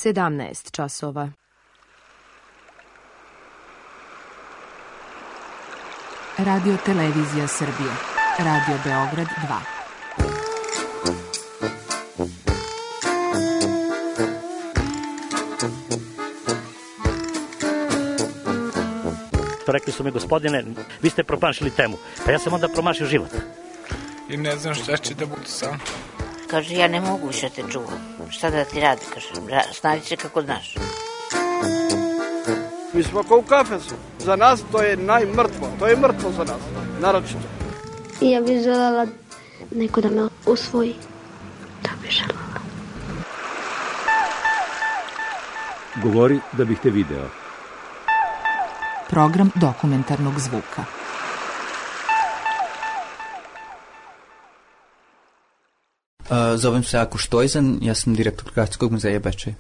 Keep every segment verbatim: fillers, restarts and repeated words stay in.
sedamnaest časova. Radio Televizija Srbije. Radio Beograd dva. Rekli su mi, gospodine, vi ste promašili temu. Pa ja sam onda promašio život. I ne znam šta će da bude sam. Kaže, ja ne mogu više te čuvam. Šta da ti radi, kaže, snađi se kako znaš. Mi smo kao u kafesu. Za nas to je najmrtvo. To je mrtvo za nas, naročito. Ja bih željela neko da me usvoji. To bih željela. Govori da bih te video. Program dokumentarnog zvuka. Uh, zovem se Ako Štojzan, ja sam direktor Gradskog muzeja Bečej.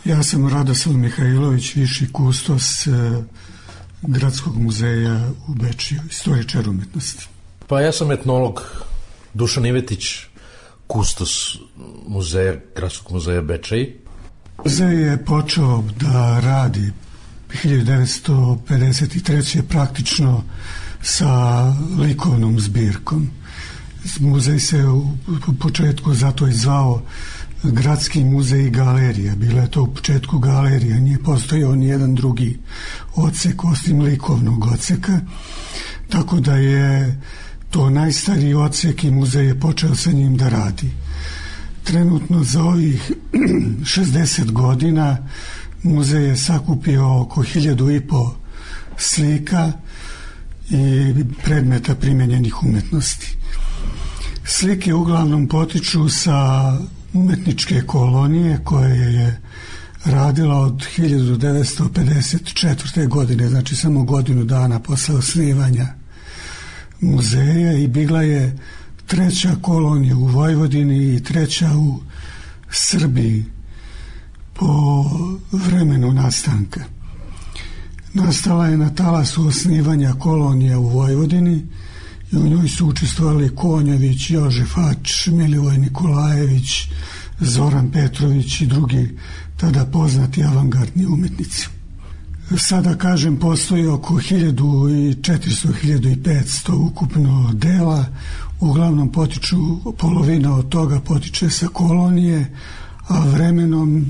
Ja sam Radoslav Mihajlović, viši kustos uh, Gradskog muzeja u Bečeju, istoričar umetnosti. Pa ja sam etnolog Dušan Ivetić, kustos muzeja, Gradskog muzeja Bečej. Muzej je počeo da radi hiljadu devetsto pedeset treće praktično sa likovnom zbirkom. Muzej se u početku zato i zvao Gradski muzej i galerija. Bila je to u početku galerija, nije postojao ni jedan drugi odsek osim likovnog odseka, tako da je to najstariji odsek i muzej je počeo sa njim da radi. Trenutno za ovih šezdeset godina muzej je sakupio oko hiljadu i po slika i predmeta primenjenih umetnosti. Slike uglavnom potiču sa umetničke kolonije koje je radila od hiljadu devetsto pedeset četvrte. godine, znači samo godinu dana posle osnivanja muzeja, i bila je treća kolonija u Vojvodini i treća u Srbiji po vremenu nastanka. Nastala je na talasu osnivanja kolonija u Vojvodini i u njoj su učestvovali Konjović, Jožef Ač, Milivoj Nikolajević, Zoran Petrović i drugi tada poznati avangardni umetnici. Sada, kažem, postoji oko hiljadu četiristo do hiljadu petsto ukupno dela, uglavnom potiču, polovina od toga potiče sa kolonije, a vremenom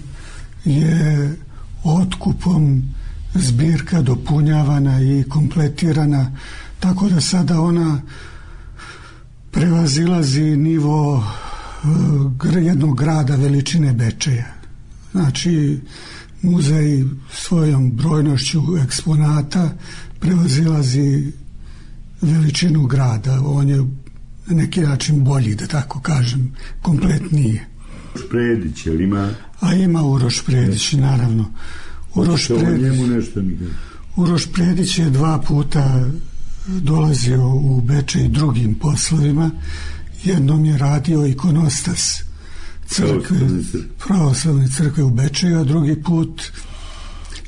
je otkupom zbirka dopunjavana i kompletirana, tako da sada ona prevazilazi nivo jednog grada veličine Bečeja. Znači, muzej svojom brojnošću eksponata prevazilazi veličinu grada. On je na neki način bolji, da tako kažem, kompletniji. Uroš Predić, jel ima? A ima Uroš Predić, naravno. Uroš Predić, Uroš Predić je dva puta dolazio u Bečej drugim poslovima. Jednom je radio ikonostas crkve, pravoslavne crkve u Bečeju, a drugi put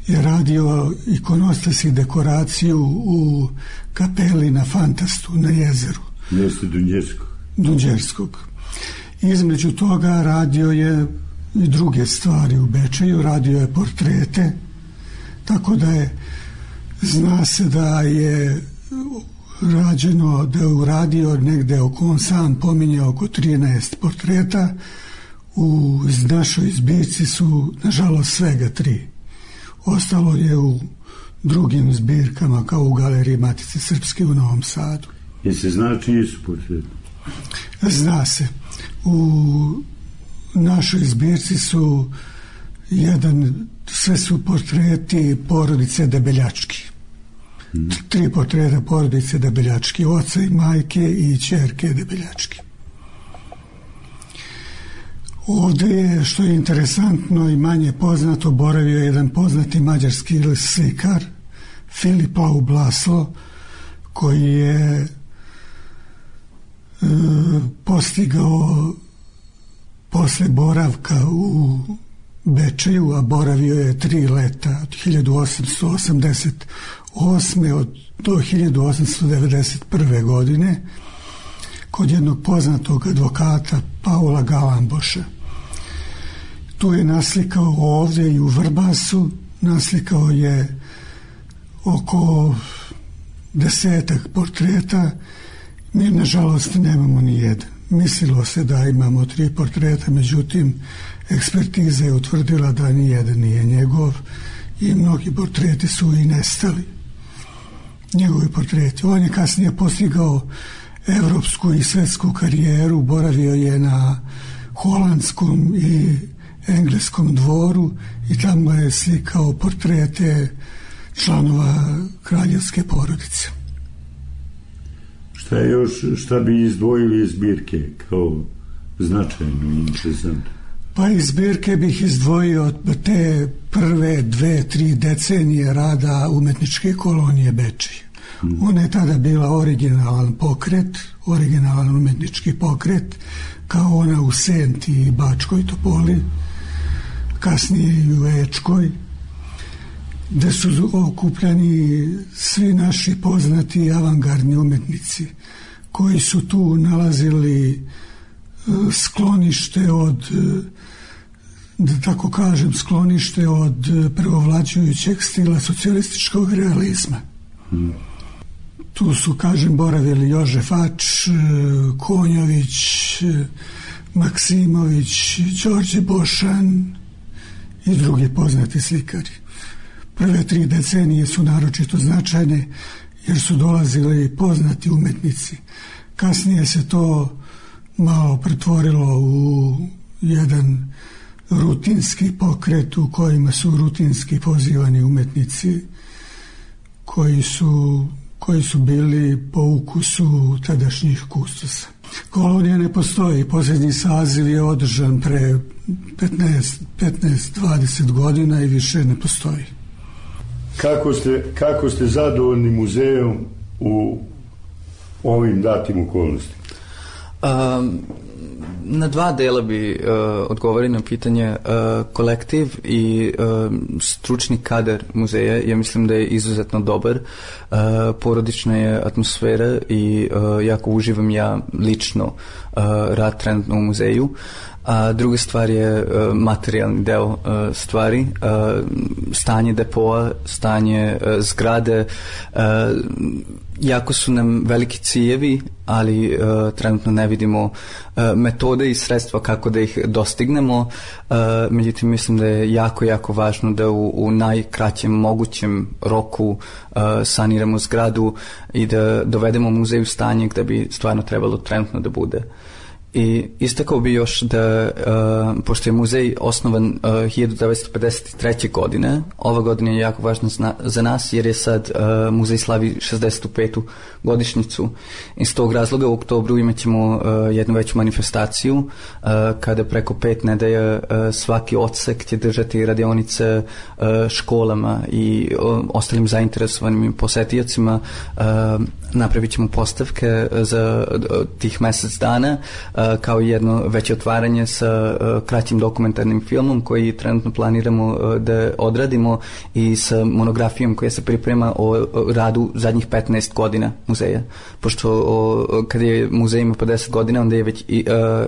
je radio ikonostas i dekoraciju u kapeli na Fantastu, na jezeru. Mjesto Dunđerskog. Dunđerskog. Između toga radio je i druge stvari u Bečeju, radio je portrete, tako da je, zna se da je rađeno, da je uradio negde oko, on sam pominje, oko trinaest portreta. U našoj zbirci su nažalost svega tri. Ostalo je u drugim zbirkama, kao u Galeriji Matice Srpske u Novom Sadu. Je se zna čiji su portreti? Zna se. U našoj zbirci su jedan, sve su portreti porodice Debeljački. Hmm. Tri portreta porodice Debeljački, oca i majke i ćerke Debeljački. Ovdje je, što je interesantno i manje poznato, boravio jedan poznati mađarski slikar, Filip Laub Laslo, koji je e, postigao posle boravka u Bečeju, a boravio je tri leta od hiljadu osamsto osamdeset osme do hiljadu osamsto devedeset prve. godine kod jednog poznatog advokata Paula Galamboša. Tu je naslikao ovdje i u Vrbasu, naslikao je oko desetak portreta. Mi nažalost nemamo ni jedan. Mislilo se da imamo tri portreta, međutim ekspertiza je utvrdila da ni jedan nije njegov i mnogi portreti su i nestali. Njegovi portreti. On je kasnije postigao evropsku i svetsku karijeru, boravio je na holandskom i engleskom dvoru i tamo je slikao portrete članova kraljevske porodice. Šta je još, šta bi izdvojili iz zbirke kao značajno i interesantno? Pa iz zbirke bih izdvojio te prve dve, tri decenije rada umetničke kolonije Bečej. Hmm. Ona je tada bila originalan pokret, originalan umetnički pokret, kao ona u Senti i Bačkoj Topoli, kasnije i u Ečkoj, gde su okupljani svi naši poznati avangardni umetnici koji su tu nalazili sklonište od, da tako kažem, sklonište od preovlađujućeg stila socijalističkog realizma. Hmm. Tu su, kažem, boravili Jožef Ač, Konjović, Maksimović, Đorđe Bošan i drugi poznati slikari. Prve tri decenije su naročito značajne jer su dolazili poznati umetnici. Kasnije se to malo pretvorilo u jedan rutinski pokret u kojima su rutinski pozivani umetnici koji su, koji su bili po ukusu tadašnjih kustosa. Kolonija ne postoji. Posljednji saziv je održan pre petnaest dvadeset godina i više ne postoji. Kako ste, kako ste zadovoljni muzejom u ovim datim okolnostima? Um, na dva dela bi uh, odgovorili na pitanje. Uh, kolektiv i uh, stručni kadar muzeja, ja mislim da je izuzetno dobar. Uh, porodična je atmosfera i uh, jako uživam ja lično uh, rad trenutno u muzeju. A druga stvar je uh, materijalni deo uh, stvari, uh, stanje depoa, stanje uh, zgrade. Uh, jako su nam veliki ciljevi, ali uh, trenutno ne vidimo uh, metode i sredstva kako da ih dostignemo. Uh, međutim, mislim da je jako, jako važno da u, u najkraćem mogućem roku uh, saniramo zgradu i da dovedemo muzej u stanje gde bi stvarno trebalo trenutno da bude. I istakao bi još da, uh, pošto je muzej osnovan uh, hiljadu devetsto pedeset treće. godine, ova godina je jako važna zna, za nas jer je sad uh, muzej slavi šezdeset petu godišnjicu. Iz tog razloga u oktobru imat ćemo uh, jednu veću manifestaciju uh, kada preko pet nedelja uh, svaki odsek će držati radionice uh, školama i uh, ostalim zainteresovanim posetiocima. Uh, napravit ćemo postavke za uh, tih mesec dana, uh, kao jedno veće otvaranje sa uh, kraćim dokumentarnim filmom koji trenutno planiramo uh, da odradimo i sa monografijom koja se priprema o, o radu zadnjih petnaest godina muzeja. Pošto o, kad je muzej ima pedeset godina, onda je već i, uh,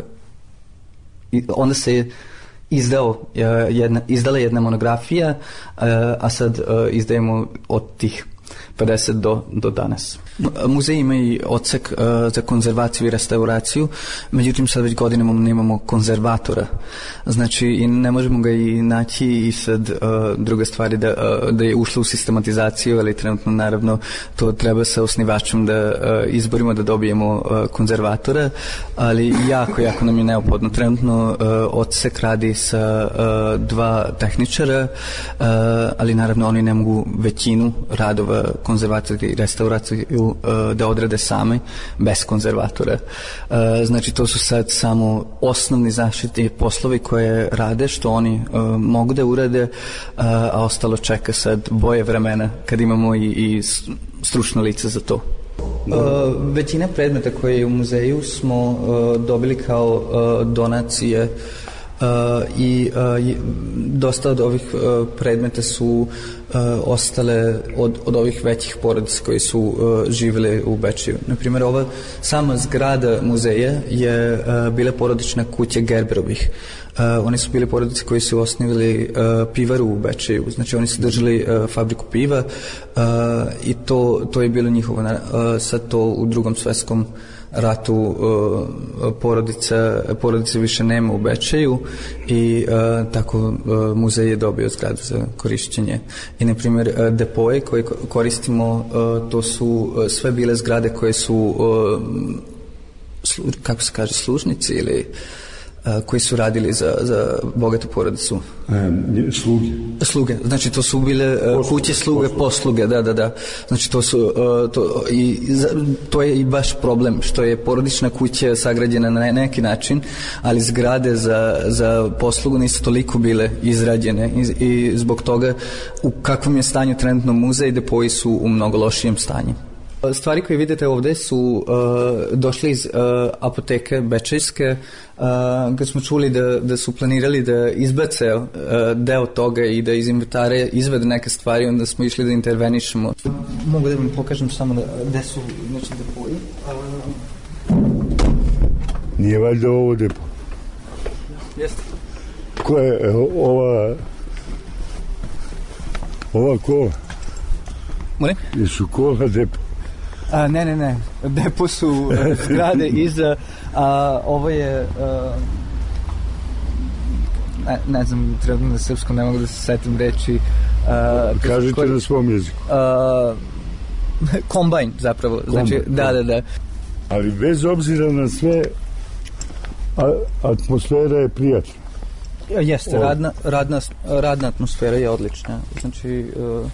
i onda se je izdao uh, jedna, izdala jedna monografija, uh, a sad uh, izdajemo od tih pedeset do, do danas. Muzej ima i odsek uh, za konzervaciju i restauraciju, međutim sad već godinama nemamo konzervatora, znači i ne možemo ga i naći i sad uh, druga stvar je da, uh, da je ušlo u sistematizaciju, ali trenutno naravno to treba sa osnivačem da uh, izborimo da dobijemo uh, konzervatora, ali jako, jako nam je neophodno. Trenutno uh, odsek radi sa uh, dva tehničara, uh, ali naravno oni ne mogu većinu radova konzervacije i restauraciju da odrade same bez konzervatora. Znači to su sad samo osnovni zaštitni poslovi koje rade, što oni mogu da urade, a ostalo čeka sad boje vremena kad imamo i, i stručno lice za to. Uh, većina predmeta koje je u muzeju smo uh, dobili kao uh, donacije i uh, dosta od ovih uh, predmeta su uh, ostale od, od ovih većih porodica koji su uh, živjeli u Bečeju. Naprimjer, ova sama zgrada muzeja je uh, bila porodična kuća Gerberovih. Uh, oni su bili porodice koji su osnivali uh, pivaru u Bečeju, znači oni su držali uh, fabriku piva uh, i to, to je bilo njihovo. Uh, sad to u drugom svetskom ratu uh, porodica, porodice više nema u Bečeju i uh, tako uh, muzej je dobio zgradu za korišćenje. I na primjer uh, depoje koje koristimo, uh, to su uh, sve bile zgrade koje su uh, slu, kako se kaže, služnici ili koji su radili za, za bogatu porodicu. E, sluge. Sluge, znači to su bile posluge, kuće sluge, posluge. posluge, da, da, da. Znači to su, to, i, to je i baš problem, što je porodična kuća sagrađena na neki način, ali zgrade za, za poslugu nisu toliko bile izrađene i, i zbog toga u kakvom je stanju trenutno muzej, depoji su u mnogo lošijem stanju. Stvari koje vidite ovde su uh, došli iz uh, apoteke bečejske, uh, kad smo čuli da, da su planirali da izbace uh, deo toga i da iz inventare izvede neke stvari, onda smo išli da intervenišemo. Mogu da vam pokažem samo da, gde su znači, depoji. Uh... Nije valjda ovo depo? Jeste. Ko je ova ova kola? Molim? Jesu kola depo? A, ne, ne, ne. Depo su uh, zgrade iza, a ovo je uh, ne, ne znam, trebno na srpskom ne mogu da se setim reči. Uh, Kažite koji, na svom jeziku. Uh, kombajn zapravo. Kombajn, znači, da, da, da. Ali bez obzira na sve, a, atmosfera je prijatna. Jeste, radna, radna, radna atmosfera je odlična. Znači, uh,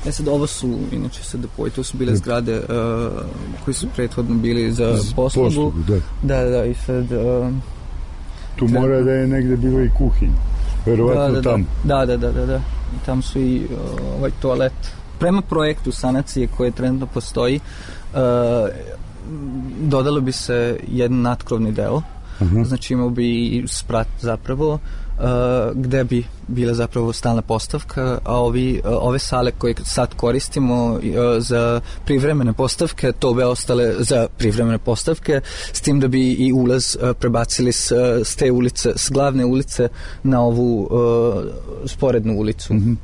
E sad, ovo su, inače se depoji, to su bile zgrade uh, koji su prethodno bili za poslugu. poslugu da. da, da, i sad... Uh, tu treba... mora da je negde bilo i kuhinj, verovatno da, da, tamo. Da, da, da, da, da. I tamo su i uh, ovaj toalet. Prema projektu sanacije koje trenutno postoji, uh, dodalo bi se jedan natkrovni deo, uh-huh. Znači imao bi i sprat zapravo, Uh, gde bi bila zapravo stalna postavka, a ovi, uh, ove sale koje sad koristimo uh, za privremene postavke, to bi ostale za privremene postavke, s tim da bi i ulaz uh, prebacili s, s te ulice, s glavne ulice na ovu uh, sporednu ulicu. Mm-hmm.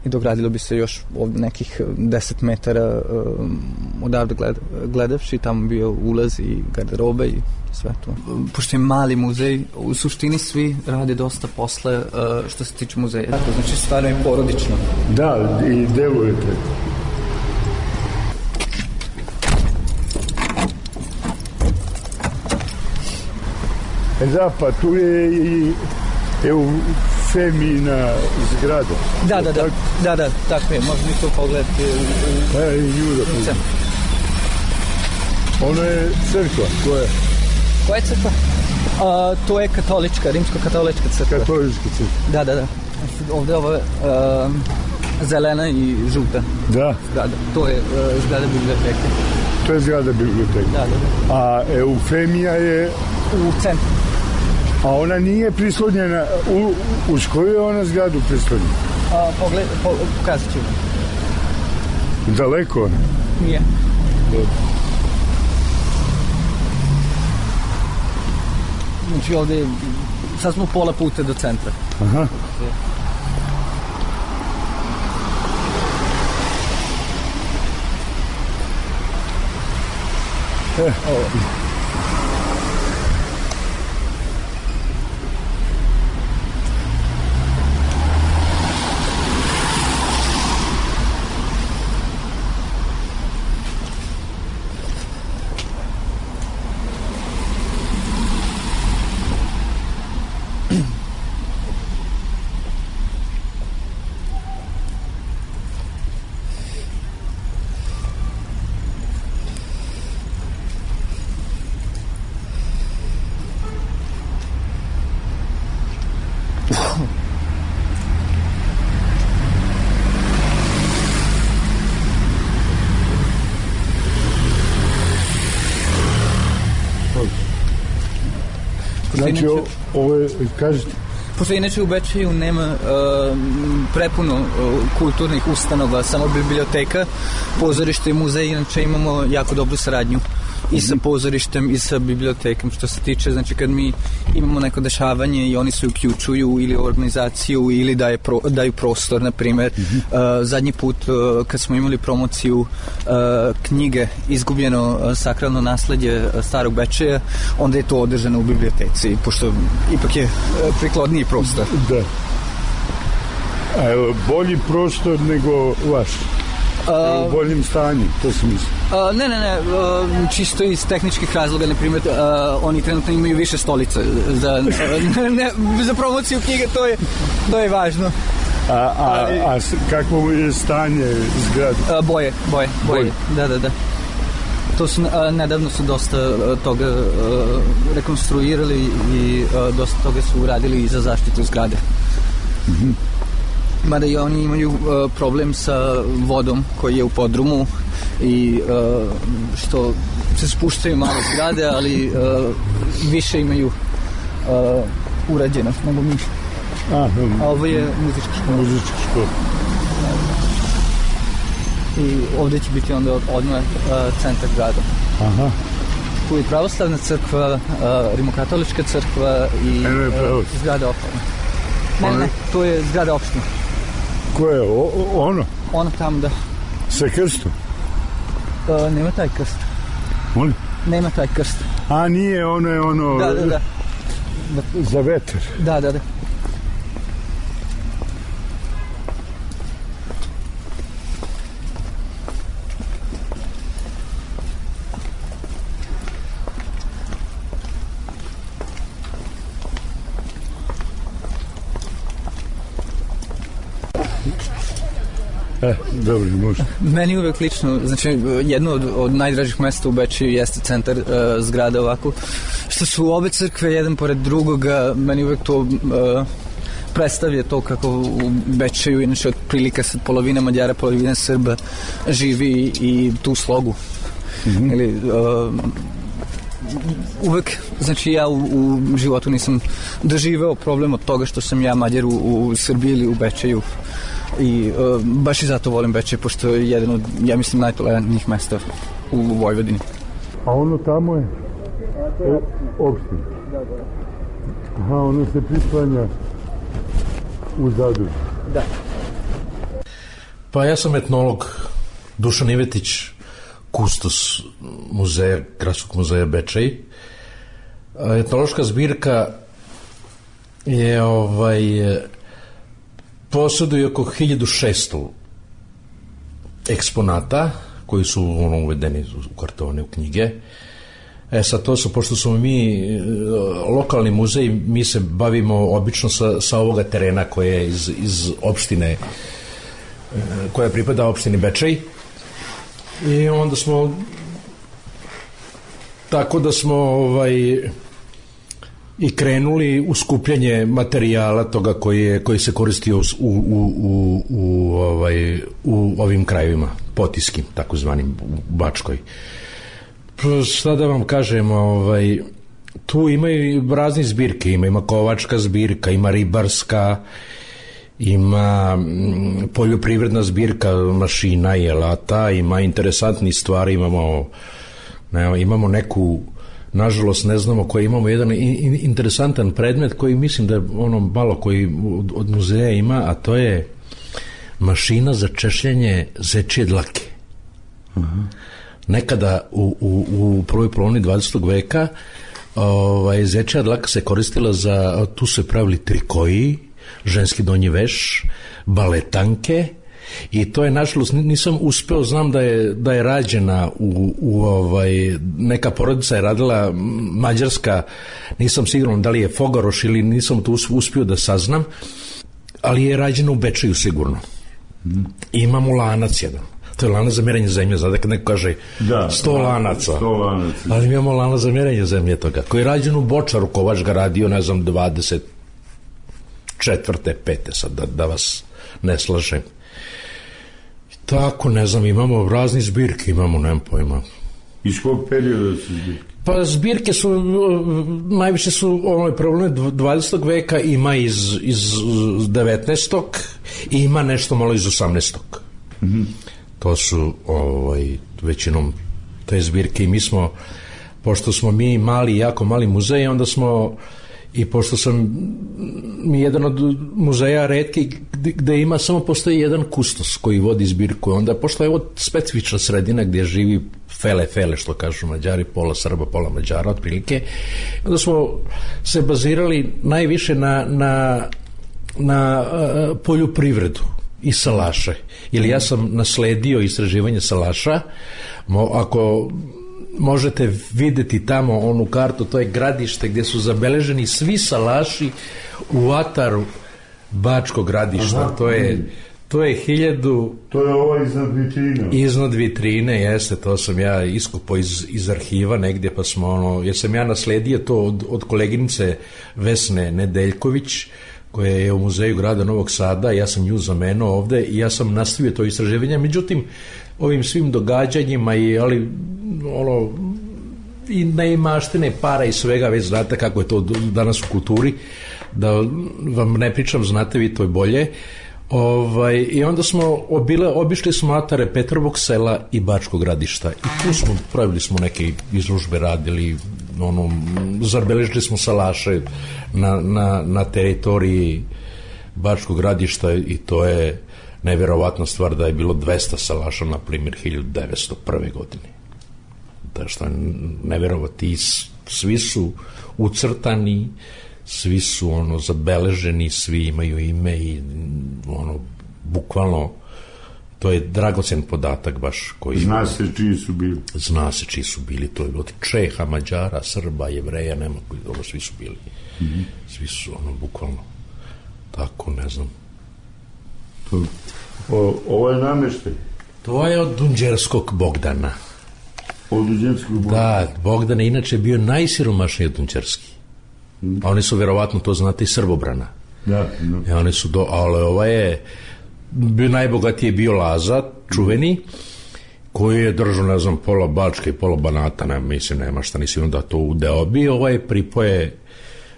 I dogradilo bi se još ovdje nekih deset metara um, odavde gled, gledavši, tamo bio ulaz i garderoba i sve to. Pošto je mali muzej, u suštini svi rade dosta posle uh, što se tiče muzeja. Tako, znači stvarno je porodično. Da, i delujete. E da, pa tu je i Eufemina zgrada. Da, da, da, da, da, tako je, možda mi to pogledati. Pa je i nju da ono je crkva, koja je? Koja je crkva? A, to je katolička, rimsko-katolička crkva. Katolička crkva. Da, da, da. Ovde je ovo uh, zelena i žuta. Da. Zgrada. To je uh, zgrada biblioteke. To je zgrada biblioteke. Da, da, da. A Eufemija je... U centru. A ona nije prislonjena, u, uz koju je ona zgradu prislonjena? A, pogled, po, pokazat ću. Daleko ona? Nije. Dobro. Znači ovde, sad smo pola puta do centra. Aha. E, ovo. Znači, inače, ovo je, kažete... Pošto inače u Bečeju nema uh, prepuno uh, kulturnih ustanova, samo biblioteka, pozorište i muzej, inače imamo jako dobru saradnju i sa pozorištem i sa bibliotekom, što se tiče, znači kad mi imamo neko dešavanje i oni se uključuju ili u organizaciju ili daje pro, daju prostor, na primjer. Mm-hmm. Uh, zadnji put uh, kad smo imali promociju uh, knjige Izgubljeno uh, sakralno nasledje uh, Starog Bečeja, onda je to održano u biblioteci, pošto ipak je uh, prikladniji prostor. Da. A evo, bolji prostor nego vaš? U boljim stanju, to se misli. Uh, ne, ne, ne, uh, čisto iz tehničkih razloga, na primjer, uh, oni trenutno imaju više stolica za, uh, ne, za promociju knjige, to je, to je važno. A, a, a kakvo je stanje zgrade? Uh, boje, boje, boje, boje, da, da, da. To su, uh, nedavno su dosta uh, toga uh, rekonstruirali i uh, dosta toga su uradili i za zaštitu zgrade. Mhm. Mada i oni imaju uh, problem sa vodom koji je u podrumu i uh, što se spuštaju malo zgrade, ali uh, više imaju uh, urađeno nego mi. A, A ovo je muzička škola. Muzička škola. I ovdje će biti onda odmah uh, centar grada. Aha. Tu je pravoslavna crkva, uh, rimokatolička crkva i uh, zgrada opštine. Ne, ne, to je zgrada opštine. Ko je? O, ono? Ono tamo, da. Sa krstom? Uh, nema taj krst. Molim? Nema taj krst. A nije, ono je ono... Da, da, da. Za vetar. Da, da, da. E, dobro, može. Meni uvek lično, znači jedno od, od najdražih mesta u Bečeju jeste centar uh, zgrada ovako, što su obe crkve jedan pored drugoga, meni uvek to uh, predstavlja to kako u Bečeju, inače otprilike sad polovina Mađara, polovina Srba živi i tu slogu. Mm-hmm. Ili, uh, uvek, znači ja u, u životu nisam doživeo problem od toga što sam ja Mađar u, u Srbiji ili u Bečeju. I uh, baš i zato volim Bečej, pošto je jedan od, ja mislim, najtolerantnijih mesta u Vojvodini. A ono tamo je e, opština? Aha, ono se prislanja u Zadru. Da. Pa ja sam etnolog Dušan Ivetić, kustos muzeja, Gradskog muzeja Bečej. Etnološka zbirka je ovaj... posjeduje oko hiljadu šesto eksponata koji su ono uvedeni u kartone, u knjige. E sad to su, pošto smo mi lokalni muzej, mi se bavimo obično sa, sa ovoga terena koje je iz, iz opštine, koja pripada opštini Bečej. I onda smo tako da smo ovaj i krenuli u skupljanje materijala toga koji, je, koji se koristio u, u, u, u, ovaj, u ovim krajevima, potiskim, takozvanim, u Bačkoj. Šta da vam kažem, ovaj, tu imaju razne zbirke, ima, ima kovačka zbirka, ima ribarska, ima m, poljoprivredna zbirka mašina i alata, ima interesantnih stvari, imamo, ne, imamo neku, nažalost ne znamo, koji imamo jedan interesantan predmet koji mislim da je ono malo koji od muzeja ima, a to je mašina za češljanje zečije dlake. Uh-huh. Nekada u, u, u prvoj polovini dvadesetog veka ovaj, zečija dlaka se koristila za, tu su se pravili trikoji, ženski donji veš, baletanke. I to je, nažalost, nisam uspeo, znam da je, da je rađena u, u ovaj, neka porodica je radila mađarska, nisam siguran da li je Fogaroš ili nisam to uspio da saznam, ali je rađena u Bečeju sigurno. Mm. Imamo lanac jedan. To je lanac za mjerenje zemlje, znate kad neko kaže da, sto lanaca. sto lanaca. Ali imamo lanac za mjerenje zemlje toga, koji je rađen u Bočaru, Kovač ga radio, ne znam, dvadeset četvrte, pete sad, da, da vas ne slažem. Tako, ne znam, imamo razni zbirke, imamo, nemam pojma. Iz kog perioda su zbirke? Pa zbirke su, najviše su ovaj problem dvadesetog veka, ima iz, iz devetnaestog i ima nešto malo iz osamnaestog. Mm-hmm. To su ovaj, većinom te zbirke i mi smo, pošto smo mi mali, jako mali muzej, onda smo, i pošto sam mi jedan od muzeja retki gde ima, samo postoji jedan kustos koji vodi zbirku, onda pošto je ovo specifična sredina gdje živi fele, fele, što kažu Mađari, pola Srba, pola Mađara, otprilike, onda smo se bazirali najviše na, na, na uh, poljoprivredu i salaše. Ili ja sam nasledio istraživanje salaša. Mo, ako možete videti tamo onu kartu, to je gradište gdje su zabeleženi svi salaši u ataru Bačkog gradišta. Aha, to je to je hiljadu... To je ovo iznad vitrine. Iznad vitrine, jeste, to sam ja iskupao iz, iz arhiva negdje, pa smo ono, jer sam ja nasledio to od, od koleginice Vesne Nedeljković, koja je u muzeju grada Novog Sada, ja sam nju zamenao ovde i ja sam nastavio to istraživanje, međutim, ovim svim događanjima i, ali, ono, i neimaštine, para i svega, već znate kako je to danas u kulturi, da vam ne pričam, znate vi to je bolje. Ovaj, i onda smo obile, obišli smo atare Petrovog sela i Bačkog gradišta i tu smo, pravili smo neke izložbe, radili, ono, zabeležili smo salaše na, na, na teritoriji Bačkog gradišta i to je nevjerovatna stvar da je bilo dvesta salaša, na primjer, hiljadu devetsto prve godine. Da što je nevjerovatno, svi su ucrtani, svi su ono zabeleženi, svi imaju ime i ono, bukvalno, to je dragocen podatak baš koji... Zna se čiji su bili. Zna se čiji su bili, to je od Čeha, Mađara, Srba, Jevreja, nema koji, ovo svi su bili. Mm-hmm. Svi su ono, bukvalno, tako, ne znam. To, o, ovo je nameštaj? To je od Dunđerskog Bogdana. Od Dunđerskog Bogdana? Da, Bogdan je inače bio najsiromašniji od Dunđerski. A oni su vjerovatno, to znate, i Srbobrana. Da, da. I oni su do, ali ovaj je bio najbogatiji, je bio Laza, čuveni, koji je držao, ne znam, pola Bačke i pola Banata, ne, mislim, nema šta, nisi onda to udeo. Bio ovaj pripoje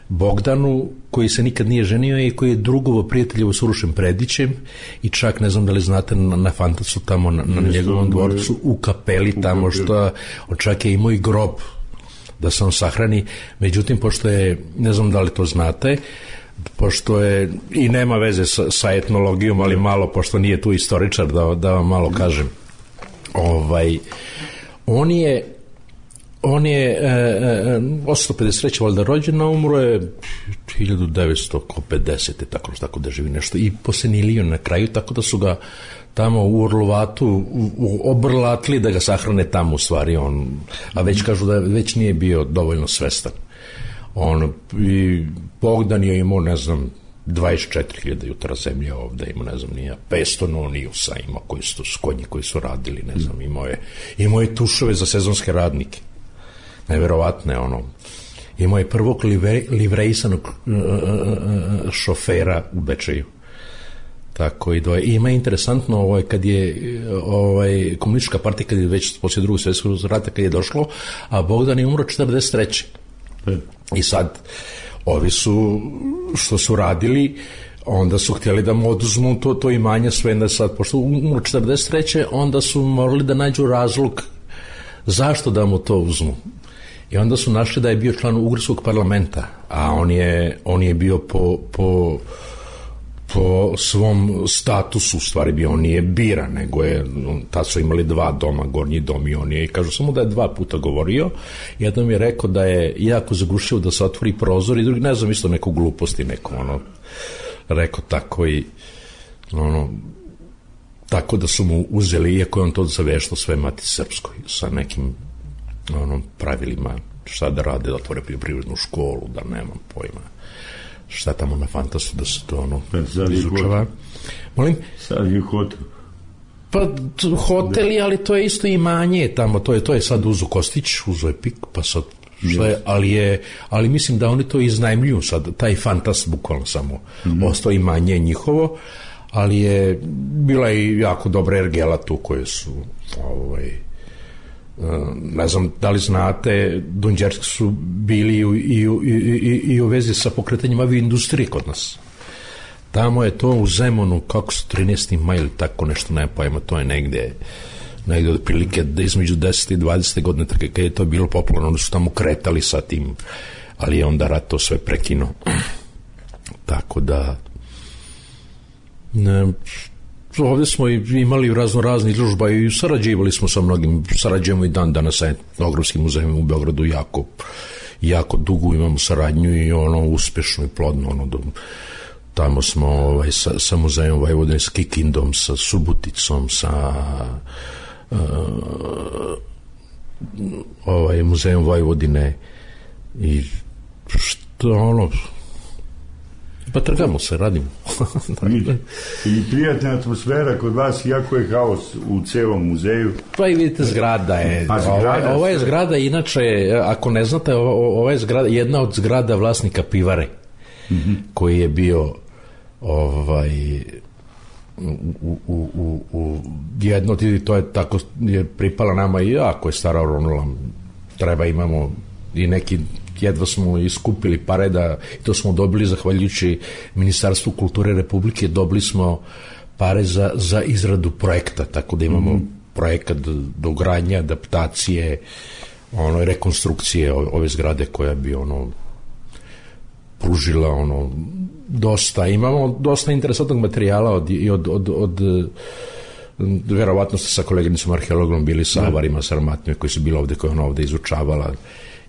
Bogdanu, koji se nikad nije ženio i koji je drugovo prijateljevo s Urošem Predićem i čak, ne znam da li znate, na, na Fantasu tamo, na, na njegovom dvorcu, u kapeli tamo, što on čak je imao i grob da se on sahrani, međutim, pošto je, ne znam da li to znate, pošto je, i nema veze sa, sa etnologijom, ali malo, pošto nije tu istoričar, da, da vam malo kažem, ovaj, on je, on je e, e, osamsto pedeset treće valjda rođen, a umro je hiljadu devetsto pedesete tako, tako da živi nešto, i posenilio na kraju, tako da su ga tamo u Orlovatu obrlatili da ga sahrane tamo, u stvari, on, a već kažu da već nije bio dovoljno svestan. On, i Bogdan je imao, ne znam, dvadeset četiri hiljade jutara zemlje ovde, imao, ne znam, nije, petsto nonijusa imao, koji su, konji koji su radili, ne znam, imao je, imao je tušove za sezonske radnike. Neverovatne, ono. Imao je prvog livre, livrejsanog uh, uh, šofera u Bečeju. Tako i doje. I ima interesantno, ovaj, kad je ovaj, komunistička partija, kad je već poslije drugog svjetskog rata, kad je došlo, a Bogdan je umro četrdeset treće I sad, ovi su, što su radili, onda su htjeli da mu oduzmu to, to imanje sve, da sad, pošto umro četrdeset treće onda su morali da nađu razlog zašto da mu to uzmu. I onda su našli da je bio član Ugarskog parlamenta, a on je, on je bio po, po, po svom statusu, u stvari bio, on nije biran, nego je, tad su imali dva doma, gornji dom, i on je, i kažu samo da je dva puta govorio, jednom je rekao da je jako zagušio da se otvori prozor, i drugi, ne znam, isto neku gluposti, neko, ono, rekao tako, i ono, tako da su mu uzeli, iako je on to zaveštao sve Matici Srpskoj, sa nekim onom pravilima šta da rade, da otvore poljoprivrednu školu, da nemam pojma šta tamo na Fantasu, da se to ono izučava. Molim? Sad je hotel. Pa hoteli, ali to je isto imanje tamo, to je, to je sad uzo Kostić, uzo je Pik, pa sad šta je, ali je, ali mislim da oni to iznajmljuju sad, taj Fantas bukvalno samo mm-hmm. ostao imanje njihovo, ali je bila i jako dobra ergela tu koje su ovaj ne znam da li znate, Dunđerski su bili i u, i, u, i, i, i u vezi sa pokretanjem avio industrije kod nas. Tamo je to u Zemunu, kako su trinaesti maj ili tako nešto, ne pojma, to je negde negde od prilike između deset i dvadeset godine, tako kad je to bilo popularno, onda su tamo kretali sa tim, ali je onda rat to sve prekinuo. Tako da ne, ovdje smo imali razno razni izložba i sarađivali smo sa mnogim, sarađujemo i dan danas sa etnografskim muzejem u Beogradu jako, jako dugo imamo saradnju i ono uspešno i plodno, ono do, tamo smo ovaj, sa, sa muzejom Vojvodine, s Kikindom, sa Subuticom, sa uh, ovaj, muzejom Vojvodine i što ono, pa trgamo se, radimo. I prijatna atmosfera kod vas, iako je haos u celom muzeju. Pa i vidite, zgrada je, pa, zgrada, ova, ova je zgrada, inače, ako ne znate, ova je zgrada, jedna od zgrada vlasnika pivare, mm-hmm. koji je bio ovaj u, u, u, u jedno, to je tako, je pripala nama i jako je stara oronula, treba imamo i neki, jedva smo iskupili pare da, i to smo dobili zahvaljujući Ministarstvu kulture Republike, dobili smo pare za, za izradu projekta, tako da imamo mm-hmm. projekat dogradnje, adaptacije, ono, rekonstrukcije ove zgrade koja bi ono pružila ono dosta, imamo dosta interesantnog materijala od, i od, od, od, od verovatno ste sa koleginicom arheologom bili sa avarima, sa armatnjima koji su bili ovde, koje ona ovde izučavala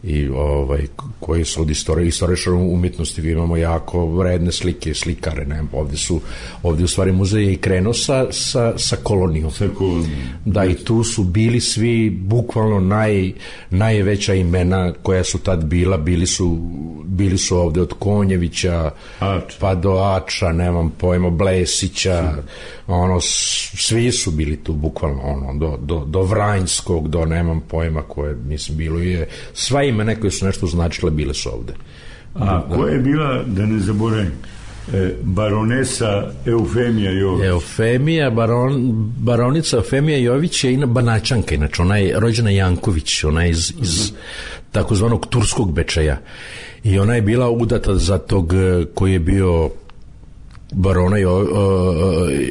i ovaj, koji su od istorije, istoričara umjetnosti, imamo jako vredne slike, slikare, ne, ovde su, ovde u stvari muzej je i krenuo sa, sa, sa kolonijom. Sa kolonijom. Da, i tu su bili svi, bukvalno naj, najveća imena koja su tad bila, bili su, bili su ovde od Konjevića, Ač. pa do Ača, nemam pojma, Blesića, ono, svi su bili tu, bukvalno, ono, do, do, do Vranjskog, do nemam pojma koje, mislim, bilo je, sva imena koje su nešto značile bile su ovde. A da, koja je bila, da ne zaboravim, e, baronesa Eufemija Jović? Eufemija, baron, baronica Eufemija Jović je ina Banaćanka, inače ona je rođena Janković, ona je iz, iz takozvanog turskog Bečeja i ona je bila udata za tog koji je bio barona Jo,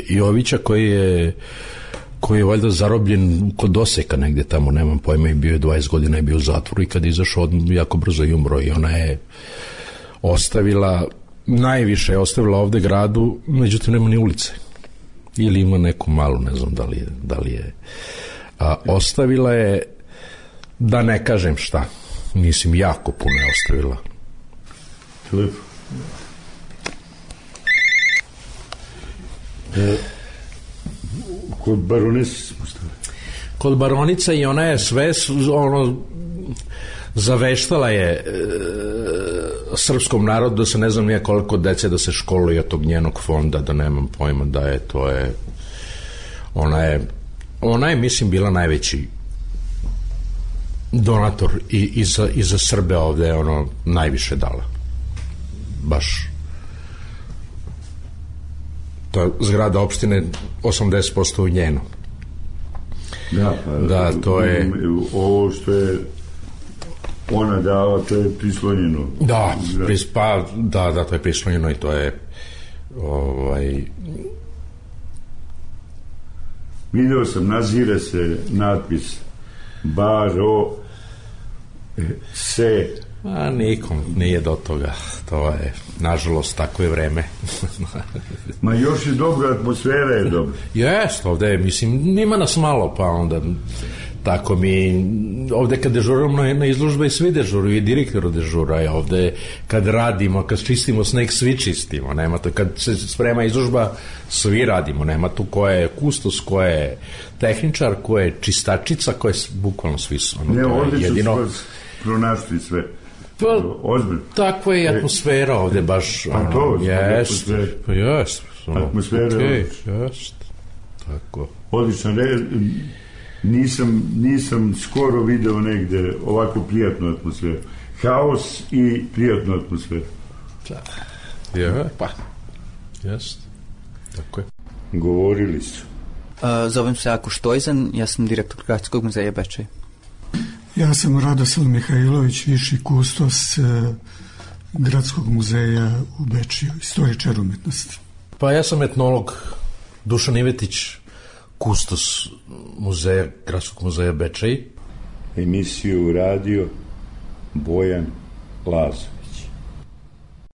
Jovića, koji je koji je valjda zarobljen kod Oseka negde tamo, nemam pojma, i bio je dvadeset godina i bio u zatvoru i kad je izašao jako brzo i umro i ona je ostavila, najviše je ostavila ovde gradu, međutim nema ni ulice ili ima neku malu, ne znam da li je, da li je. A, ostavila je, da ne kažem šta, mislim, jako puno je ostavila. Lepo. E, kod baronice kod baronica i ona je sve ono zaveštala je e, srpskom narodu da se ne znam nije koliko dece da se školuje od tog njenog fonda, da nemam pojma da je to je ona je ona je mislim bila najveći donator i, i, za, i za Srbe ovde je ono najviše dala baš. To je zgrada opštine osamdeset posto u njeno. Da, pa, da, to je ovo što je ona dala, to je prislonjeno. Da, pris, pa, da, da, to je prislonjeno i to je ovaj video sam, nazire se natpis baro se. A nikom nije do toga, to je, nažalost, tako je vreme. Ma još je dobra, atmosfera je dobra. Jest, ovde je, mislim, ima nas malo, pa onda, tako mi, ovde kad dežuramo na izložba i svi dežuruju, i direktor dežura, i ovde kad radimo, kad čistimo sneg, svi čistimo, nema to, kad se sprema izložba, svi radimo, nema tu ko je kustos, ko je tehničar, ko je čistačica, ko je, bukvalno svi su. Ono, ne, to ovde je jedino... su pronašli sve. Pa, takva je atmosfera ovde baš. Pa to, jest, pa jest. Atmosfera okay, jest. Tako. Odlično, nisam, nisam skoro video negde ovako prijatnu atmosferu. Haos i prijatnu atmosferu. Je, pa. Jest. Tako je. Govorili su. Uh, zovem se Ako Štojzan, ja sam direktor Gradskog muzeja Bečej. Ja sam Radoslav Mihajlović, viši kustos e, Gradskog muzeja u Bečiju, istoričar umetnosti. Pa ja sam etnolog Dušan Ivetić, kustos muzeja, Gradskog muzeja Bečej. Emisiju radio Bojan Lazo.